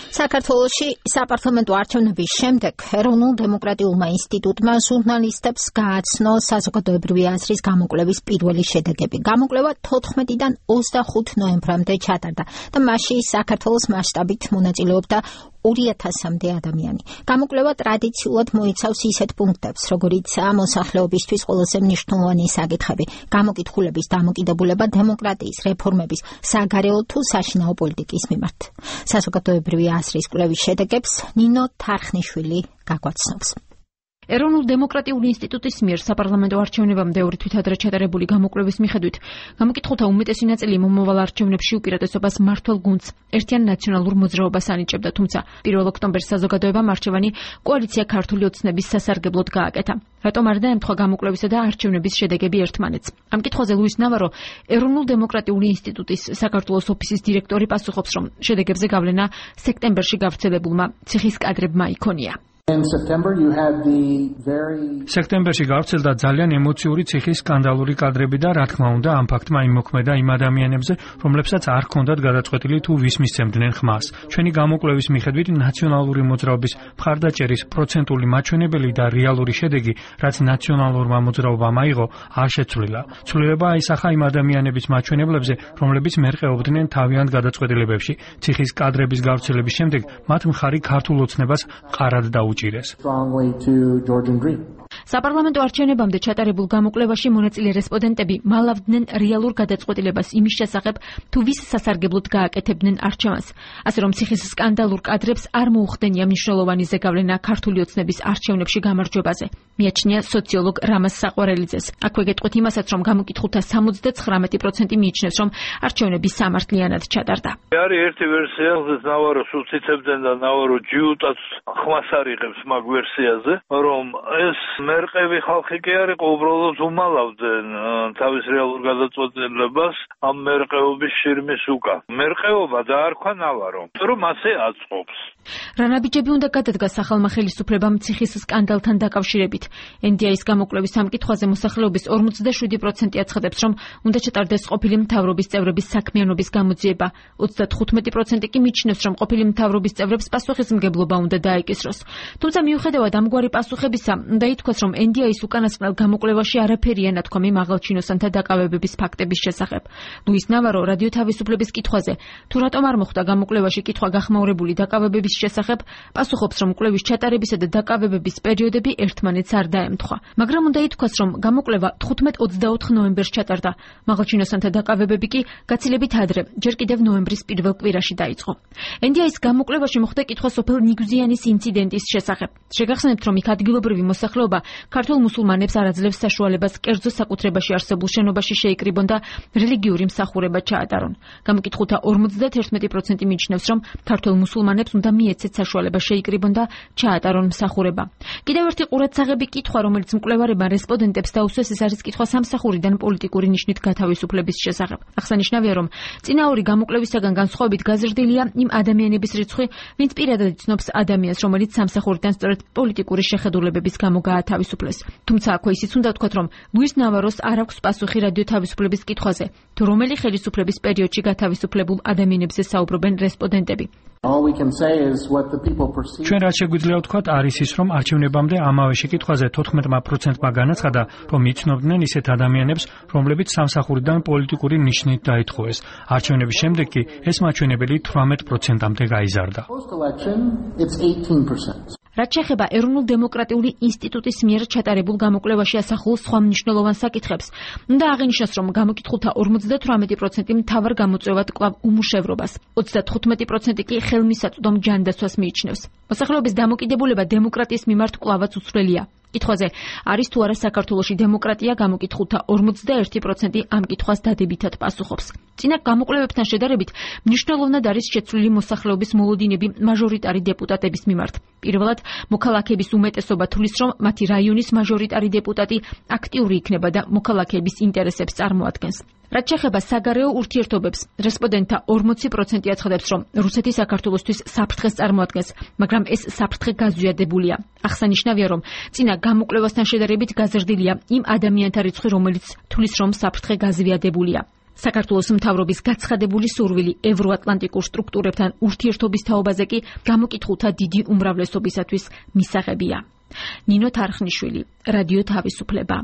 საქართველოში საპარლამენტო არჩევნების შემდეგ ეროვნულ დემოკრატიულმა ინსტიტუტმა ჟურნალისტებს გააცნო საზოგადოებრივი აზრის გამოკვლევის პირველი შედეგები. გამოკვლევა 14-დან 25 ნოემბრამდე ჩატარდა და მასში საქართველოს მასშტაბით მონაწილეობდა 2000-მდე ადამიანი. გამოკვლევა ტრადიციულად მოიცავს ისეთ პუნქტებს, როგორიცაა მოსახლეობისთვის ყველაზე მნიშვნელოვანი საკითხები, გამოკითხულების დამოკიდებულება დემოკრატიის, რეფორმების, საგარეო თუ საშინაო პოლიტიკის მიმართ. საზოგადოებრივი აზრის კვლევის შედეგებს ნინო თარხნიშვილი გაგვაცნობს. ეროვნულ დემოკრატიული ინსტიტუტის მიერ საპარლამენტო არჩევნებამდე ორი თვით ადრე ჩატარებული გამოკვლევის მიხედვით გამოკითხულთა უმეტესი ნაწილი მომავალ არჩევნებში უპირატესობას მმართველ გუნდს ერთიან ნაციონალურ მოძრაობას ანიჭებდა, თუმცა 1 ოქტომბერს საზოგადოებამ არჩევანი კოალიცია ქართული ოცნების სასარგებლოდ გააკეთა. რატომ არ დაემთხვა გამოკვლევისა და არჩევნების შედეგები ერთმანეთს? ამ კითხვაზე ლუის ნავარო, ეროვნულ დემოკრატიული ინსტიტუტის საქართველოს ოფისის დირექტორი პასუხობს, რომ შედეგებზე გავლენა სექტემბერში გავრცელებულმა ციხის კადრებმა იქონია. სექტემბერში გავრცელდა ძალიან ემოციური ციხის სკანდალური კადრები და რა თქმა უნდა ამ ფაქტმა იმოქმედა იმ ადამიანებზე, რომლებსაც არ ჰქონდათ გადაწყვეტილი თუ ვის მისცემდნენ ხმას. ჩვენი გამოკვლევის მიხედვით ნაციონალური მოძრაობის მხარდაჭერის პროცენტული მაჩვენებელი და რეალური შედეგი, რაც ნაციონალურმა მოძრაობამ აიღო, არ შეცვლილა. ცვლილება აისახა იმ ადამიანების მაჩვენებლებზე, რომლებიც მერყეობდნენ თავიანთ გადაწყვეტილებებში. ციხის კადრების გავრცელების შემდეგ მათ მხარი ქართულ ოცნებას ყარად დაუჭირეს. საპარლამენტო არჩევნებამდე ჩატარებულ გამოკვლევაში მონაწილე რესპონდენტები მალავდნენ რეალურ გადაწყვეტილებას იმის შესახებ, თუ ვის სასარგებლოდ გააკეთებდნენ არჩევანს. ასე რომ ციხის სკანდალურ კადრებს არ მოუხდენია მნიშვნელოვანი ზეგავლენა ქართული ოცნების არჩევნებში გამარჯვებაზე. მიაჩნია სოციოლოგ რამაზ საყვარელიძეს. აქვე გეტყვით იმასაც, რომ გამოკითხულთა 79% მიიჩნევს, რომ არჩევნები სამართლიანად ჩატარდა. არის ერთი ვერსია, სადაც ნავაროს უციცებდნენ და ნავარო ჯიუტაც ხმას არიღებს მაგ ვერსიაზე, რომ ეს მერყევი ხალხი კი არ იყო, უბრალოდ უმალავდნენ თავის რეალურ გადაწყვეტილებას ამ მერყეობის შირიმის უკან. მერყეობა დაარქვა ნავარო, რომ ასე აწყობს. რა ნაბიჯები უნდა გადადგა სახალხო ხელისუფლებამ ციხის სკანდალთან დაკავშირებით? NDI-ის გამოკვლევის ამ კითხვაზე მოსახლეობის 47% აცხადებს, რომ უნდა ჩატარდეს ყოფილი მთავრობის წევრების საქმიანობის გამოძიება. 35% კი მიიჩნევს, რომ ყოფილი მთავრობის წევრებს პასუხისმგებლობა უნდა დაეკისროს. თუმცა მიუხედავად ამგვარი პასუხებისა, უნდა ითქვას, რომ NDI-ის უკანასკნელ გამოკვლევაში არაფერია ნათქვამი მაღალჩინოსანთა დაკავებების ფაქტების შესახებ. ლუის ნავარო რადიო თავისუფლების კითხვაზე, თუ რატომ არ მოხდა გამოკვლევაში კითხვა გახმაურებული დაკავებების შესახებ, პასუხობს, რომ კვლევის ჩატარებისა და დაკავებების პერიოდები ერთმანეთს არ დაემთხვა. მაგრამ უნდა ითქვას, რომ გამოკვლევა 15-24 ნოემბერს ჩატარდა. მაღალჩინოსანთა დაკავებები კი გაცილებით ადრე, ჯერ კიდევ ნოემბრის პირველ კვირაში დაიწყო. NDI-ის გამოკვლევაში მოხდა კითხვა სოფელ ნიგზიანის ინციდენტის შესახებ. შეგახსენებთ, რომ იქ ადგილობრივი მოსახლეობა ქართულ მუსულმანებს არ აძლევს საშუალებას კერძო საკუთრებაში არსებულ შენობაში შეიკრიბონ და რელიგიური მსახურება ჩაატარონ. გამოკითხულთა 51% მიიჩნევს, რომ ქართულ მუსულმანებს უნდა მიეცეთ საშუალება შეიკრიბონ და ჩაატარონ მსახურება. კიდევ ერთი ყურადსაღები კითხვა, რომელიც მკვლევარებმა რესპონდენტებს დაუსვეს, ეს არის კითხვა სამსახურიდან პოლიტიკური ნიშნით გათავისუფლების შესახებ. აღსანიშნავია, რომ წინა ორი გამოკვლევისაგან განსხვავებით გაზრდილია იმ ადამიანების რიცხვი, ვინც პირადად იცნობს ადამიანს, რომელიც სამსახურიდან სწორედ პოლიტიკური შეხედულებების გამო გაათავისუფლეს. თუმცა აქვე ისიც უნდა ვთქვათ, რომ ლუის ნავაროს არ აქვს პასუხი რადიო თავისუფლების კითხვაზე, თუ რომელი ხელისუფლების პერიოდში გათავისუფლებულ ადამიანებზე საუბრობენ რესპონდენტები. ჩვენ რაც შეგვიძლია ვთქვათ, არის ის, რომ არჩევნებამდე ამავე შეკითხვაზე 14%-მა განაცხადა, რომ იცნობდნენ ისეთ ადამიანებს, რომლებიც სამსახურიდან პოლიტიკური ნიშნით დაითხოვეს. არჩევნების შემდეგ კი ეს მაჩვენებელი 18%-მდე გაიზარდა. რაც შეეხება ეროვნულ დემოკრატიული ინსტიტუტის მიერ ჩატარებულ გამოკვლევაში ასახულ სხვა მნიშვნელოვან საკითხებს, უნდა აღინიშნოს, რომ გამოკითხულთა 58% მთავარ გამოწვევად კვლავ უმუშევრობას, 35% კი ხელმისაწვდომ ჯანდაცვას მიიჩნევს. მოსახლეობის დამოკიდებულება დემოკრატიის მიმართ კვლავაც უცვლელია. კითხვაზე არის თუ არა საქართველოში დემოკრატია, გამოკითხულთა 41% ამ კითხვას დადებითად პასუხობს. წინა გამოკვლევებთან შედარებით მნიშვნელოვნად არის შეცვლილი მოსახლეობის მოლოდინები მაჟორიტარი დეპუტატების მიმართ. პირველად, მოქალაქეების უმეტესობა თვლის, რომ მათი რაიონის მაჟორიტარი დეპუტატი აქტიური იქნება და მოქალაქეების ინტერესებს წარმოადგენს. რაც შეეხება საგარეო ურთიერთობებს, რესპონდენტთა 40% აცხადებს, რომ რუსეთი საქართველოსთვის საფრთხეს წარმოადგენს, მაგრამ ეს საფრთხე გაზვიადებულია. აღსანიშნავია, რომ წინა გამოკვლევასთან შედარებით გაზრდილია იმ ადამიანთა რიცხვი, რომელიც თვლის, რომ საფრთხე გაზვიადებულია. საქართველოს მთავრობის გაცხადებული სურვილი ევროატლანტიკურ სტრუქტურებთან ურთიერთობის თაობაზე კი გამოკითხულთა დიდი უმრავლესობისათვის მისაღებია. ნინო თარხნიშვილი, რადიო თავისუფლება.